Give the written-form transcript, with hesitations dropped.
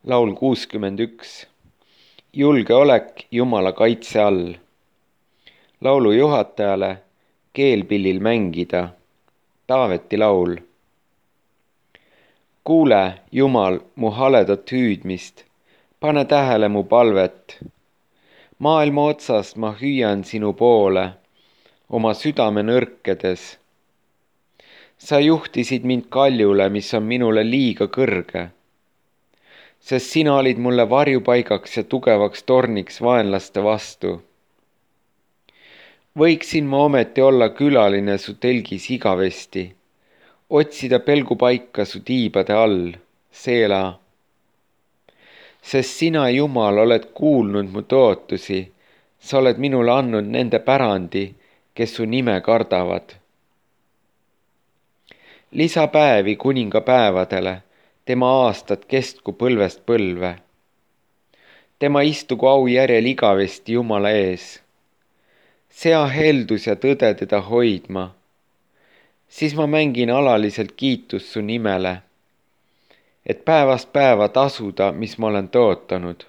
Laul 61. Julgeolek Jumala kaitse all. Laulu juhatajale keelpillil mängida. Taaveti laul. Kuule, Jumal, mu haledat hüüdmist, pane tähele mu palvet. Maailma otsast ma hüüan sinu poole, oma südame nõrkedes. Sa juhtisid mind kaljule, mis on minule liiga kõrge, sest sina olid mulle varjupaigaks ja tugevaks torniks vaenlaste vastu. Võiksin ma ometi olla külaline su telgis igavesti, otsida pelgupaika su tiibade all, Seela. Sest sina, Jumal, oled kuulnud mu tõotusi, sa oled minule andnud nende pärandi, kes su nime kardavad. Lisapäevi kuninga päevadele, tema aastad kestku põlvest põlve. Tema istugu au järjel igavesti Jumala ees. Sea heldus ja tõde teda hoidma. Siis ma mängin alaliselt kiitust su nimele, et päevast päeva tasuda, mis ma olen tõotanud.